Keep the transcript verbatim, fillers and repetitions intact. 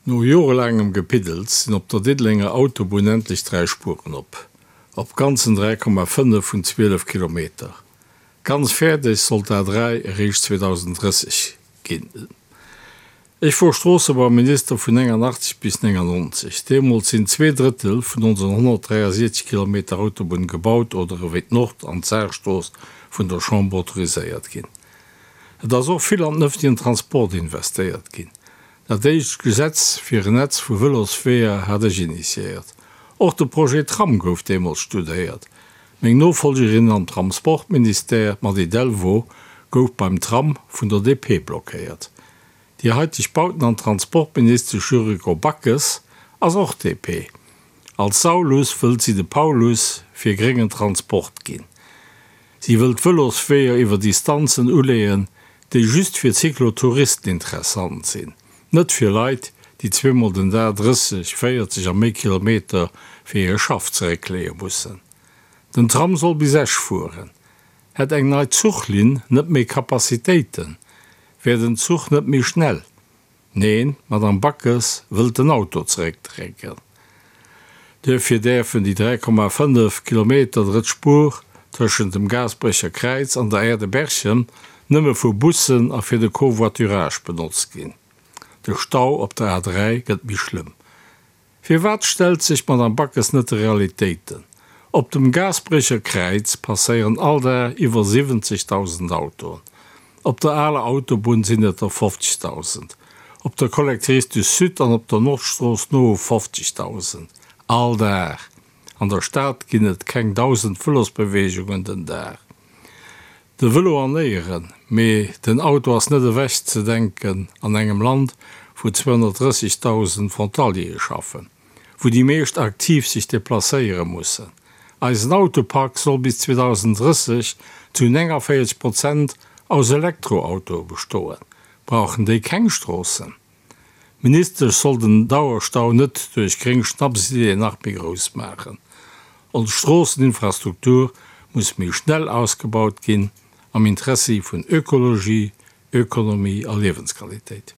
No jorelaangem Gepiddels sinn op der Diddelenger Autobunn endlech dräi Spueren op, op ganzen dräi Komma fënnef vun zwielef Kilometer. Ganz fäerdeg soll d'A dräi eréischt zweedausenddrësseg ginn. Ech wor Stroossebauminister vun néngannachtzeg bis néngannonzeg. Deemools sinn zwee Drëttel vun onsen honnertdräiasiechzeg Kilometer Autobunn gebaut oder ewéi d'Nord an d'Saarstrooss vun der Chamber autoriséiert ginn. Et ass och vill an den ëffentlechen Transport investéiert ginn. Dat éischt Gesetz fir en Netz vu Vëlosweeër hat ech initiéiert. Och de Projet Tram gouf deemools studéiert. Meng Nofollgerin am Transportministère, d'Mady Delvaux, gouf beim Tram vun der D P blockéiert. Déi haiteg Bauten an Transportministesch Yuriko Backes ass och D P. Als Saulus wëllt si de Paulus fir gréngen Transport ginn. Si wëllt Vëlosweeër iwwer Distanzen uleeën, déi just fir Cyclotouristen interessant sinn, net fir Leit, déi zweemol den Dag drësseg, véierzeg a méi Kilometer fir hire Schaff zeréckleeë mussen. Den Tram soll bis Esch fueren. Hätt eng nei Zuchlinn net méi Capacitéiten, wär den Zuch net méi schnell? Neen, d'Madame Backes wëllt den Auto zeréckdrécken. Duerfir däerfen déi dräi Komma fënnef Kilometer drëtt Spuer tëschent dem Gaasperecher Kräiz an der Aire de Berchem nëmme vu Bussen a fir de Covoiturage benotzt ginn. De Stau op der A dräi gëtt méi schlëmm. Firwat stellt sech d'Madame Backes net de Realitéiten? Op dem Gaasperecher Kräiz passéieren all Dag iwwer siwwenzegdausend Autoen. Op der aler Autobunn sinn et der fofzegdausend. Op der Collectrice du Sud an op der Nordstrooss no u fofzegdausend. All Dag! An der Stad ginn et keng dausend Vëlosbeweegungen den Dag. De Vëlo an Éieren, mee den Auto ass net ewech ze denken an engem Land, wou zweehonnertdrëssigdausend Frontaliere schaffen, wou déi meescht aktiv sech deplacéiere mussen. Eisen Autopark soll bis zweedausenddrësseg zu néngavéierzeg Prozent aus Elektroautoe bestoen. Brauchen déi keng Stroossen? D'Ministesch soll den Dauerstau net duerch gréng Schnapsideeën nach méi grouss maachen. Ons Stroosseninfrastruktur muss méi schnell ausgebaut ginn, am Interessi vun Ökologie, Ökonomie a Liewensqualitéit.